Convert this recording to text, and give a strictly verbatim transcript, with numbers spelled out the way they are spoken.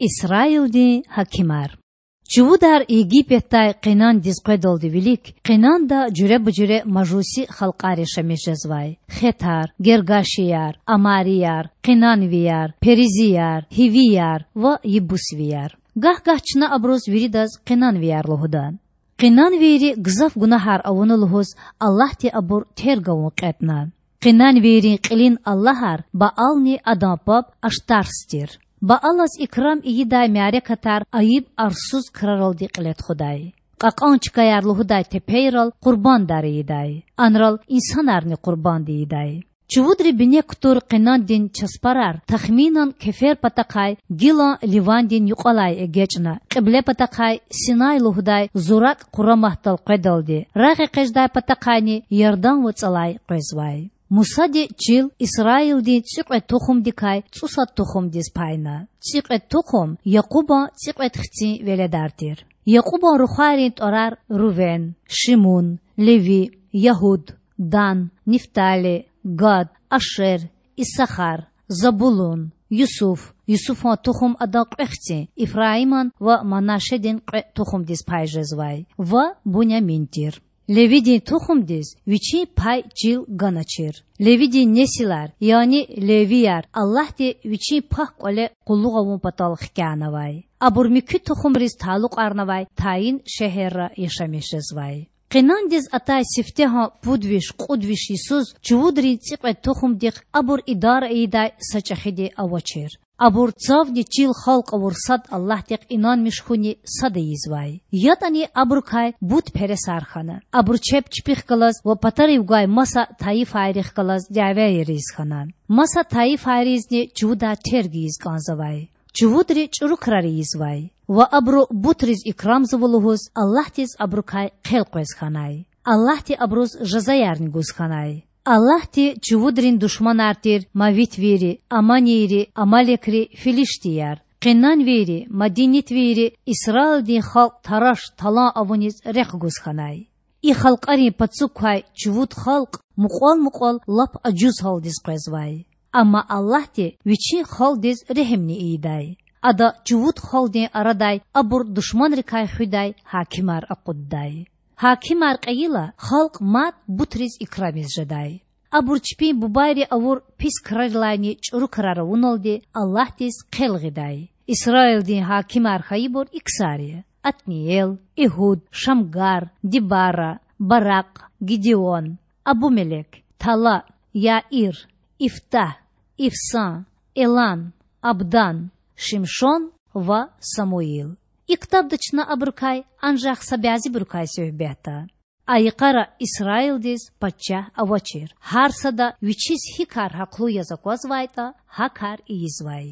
Исраилдин гьакимар. Чувудар Египетдай Къенандиз къведалди вилик Къенанда жуьреба-жуьре мажуси халкьар яшамиш жезвай: хетар, гергашияр, амарияр, къенанвияр, перизияр, гьивияр ва ебусвияр. Гагь-гагь чна абуруз виридаз къенанвияр лугьуда. Къенанвийри гзаф гунагьар авуна лугьуз, Аллагьди абур терг авун кьетІна. Къенанвийрин кьилин аллагьар Баални адан паб Аштарс тир. Баалаз икрам ийидай мярекатар айиб-арсуз краралди кьиле тухудай. Кьакьан чкаяр лугьудай тепейрал къурбандар ийидай. Анрал инсанарни къурбанд ийидай. Чувудри бине кутур Къенандин часпарар тахминан кефер патахъай гилан Ливандин юкьвалай эгечІна, кьибле патахъай Синай лугьудай зуракІ къураматдал къведалди, рагъэкъечІдай патахъайни Ярдан вацІалай къвезвай. Мусади чил Исраилдин цІикьвед тухумдикай цІусад тухумдиз пайна. ЦІикьвед тухум Якьубан цІикьвед хцин веледар тир. Якьубан рухвайрин тІварар: Рувен, Шимун, Леви, Ягьуд, Дан, Нифтали, Гад, Ашер, Исахар, Забулун, Юсуф, Юсуфан тухум адан кьве хцин, Ифраиман ва Манашедин кьве тухумдиз пай жезвай, ва Бунямин тир. Левидин тухумдиз вичин пай чил ганачир. Левидин несилар, яни левияр, Аллагьди Вичин пак кІвале къуллугъ авун патал хкягънавай. Абур муькуь тухумриз талукьарнавай тайин шегьерра яшамиш жезвай. Къенандиз атай сифтегьан пуд виш-кьуд виш йисуз чувудрин цІикьвед тухумдихъ абур идара ийидай са чІехиди авачир. Абур цавни чил халкь авур сад Аллагьдихъ инанмиш хьуни сад ийизвай. ЯтІани абурукай бутпересар хьана. Абуру чеб чпихъ галаз ва патарив гвай маса тайифайрихъ галаз дявеяр ийиз хьана. Маса тайифайризни чувудар терг ийиз кІанзавай. Чувудри чІуру крар ийизвай ва абуру бутриз икрамзава лугьуз Аллагьдиз абурукай хъел къвез хьанай. Аллагьди абуруз жазаярни гуз хьанай. Аллагьди чувудрин душманар тир мавитвийри, аммонийри, амалекри, филиштияр, къенанвийри, мадинитвийри Исраилдин халкь тараш-талан авуниз рехъ гуз хьанай. И халкьарин пацук квай чувуд халкь мукьвал-мукьвал лап ажуз гьалдиз къвезвай. Амма Аллагьди Вичин халкьдиз регьимни ийидай. Ада чувуд халкьдин арадай абур душманрикай хуьдай гьакимар акъуддай. Гьакимар кьейила, халкь мад бутриз икрамиз жедай. Абур чпин бубайри авур пис крарилайни чІуру крар авуналди Аллагьдиз хъел гъидай. Исраилдин гьакимар хьайибур и ксар я: Атниэл, Игьуд, Шамгар, Дибара, Баракь, Гидеон, Абумелек, Тала, Яир, Ифтагь, Ифсан, Элан, Абдан, Шимшон ва Самуил. И ктабда чна абурукай анжах са бязибурукай суьгьбетда. А йикъара Исраилдиз пачагь авачир, гьар сада вичиз гьи кар гьахълу яз аквазвайтІа, гьа кар ийизвай.